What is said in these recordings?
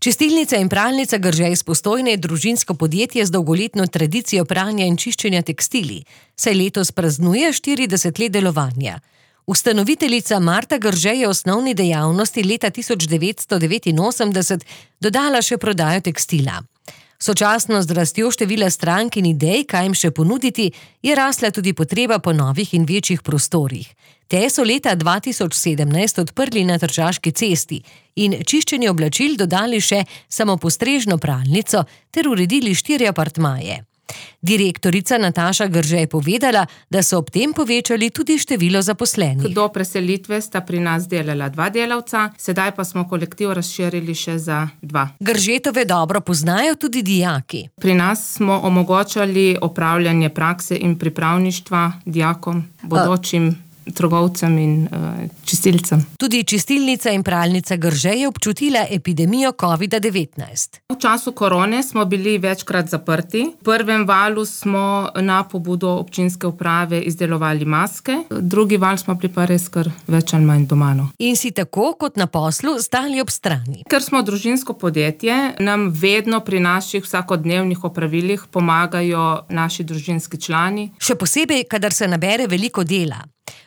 Čistilnica in pralnica Grže iz Postojne je družinsko podjetje z dolgoletno tradicijo pranja in čiščenja tekstilij, saj letos praznuje 40 let delovanja. Ustanoviteljica Marta Grže je osnovni dejavnosti leta 1989 dodala še prodajo tekstila. Sočasno z rastjo števila strank in idej, kaj jim še ponuditi, je rasla tudi potreba po novih in večjih prostorih. Te so leta 2017 odprli na Tržaški cesti in čiščenje oblačil dodali še samopostrežno pralnico ter uredili 4 apartmaje. Direktorica Nataša Grže je povedala, da so ob tem povečali tudi število zaposlenih. Do preselitve sta pri nas delala 2 delavca, sedaj pa smo kolektiv razširili še za 2. Gržetove dobro poznajo tudi dijaki. Pri nas smo omogočali opravljanje prakse in pripravništva dijakom, bodočim trgovcem in čistilcem. Tudi čistilnica in pralnica Grže je občutila epidemijo COVID-19. V času korone smo bili večkrat zaprti. V prvem valu smo na pobudo občinske uprave izdelovali maske, drugi val smo bili pa res kar več ali manj doma. In si tako kot na poslu stali ob strani. Ker smo družinsko podjetje, nam vedno pri naših vsakodnevnih opravilih pomagajo naši družinski člani. Še posebej, kadar se nabere veliko dela.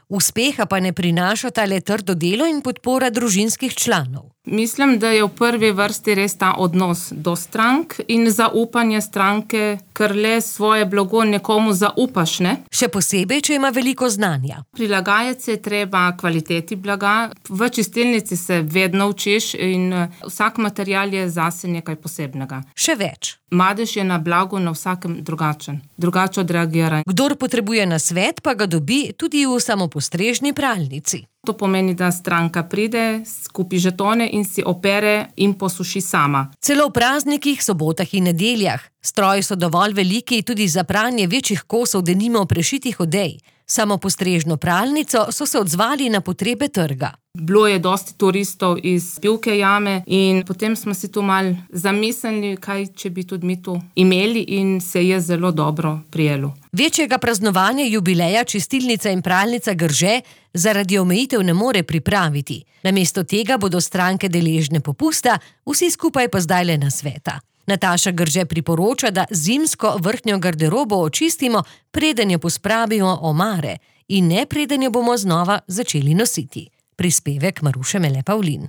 Uspeha pa ne prinašata le trdo delo in podpora družinskih članov. Mislim, da je v prvi vrsti res ta odnos do strank in zaupanje stranke, ker le svoje blago nekomu zaupaš, ne? Še posebej, če ima veliko znanja. Prilagajati se je treba kvaliteti blaga. V čistilnici se vedno učiš in vsak material je zase nekaj posebnega. Še več. Madež je na blagu na vsakem drugačen. Drugače odreagira. Kdor potrebuje nasvet, pa ga dobi tudi v samopostrežni pralnici. To pomeni, da stranka pride, skupi žetone in si opere in posuši sama. Celo v praznikih, sobotah in nedeljah. Stroji so dovolj veliki tudi za pranje večjih kosov, denimo prešitih odej. Samopostrežno pralnico so se odzvali na potrebe trga. Bilo je dosti turistov iz Pivke jame in potem smo si tu malo zamislili, kaj če bi tudi mi tu imeli in se je zelo dobro prijelo. Večjega praznovanja jubileja čistilnica in pralnica Grže zaradi omejitev ne more pripraviti. Namesto tega bodo stranke deležne popusta, vsi skupaj pa zdaj le nasveta. Nataša Grže priporoča, da zimsko vrhnjo garderobo očistimo, preden jo pospravimo omare in ne preden jo bomo znova začeli nositi. Prispevek Maruše Mele Pavlin.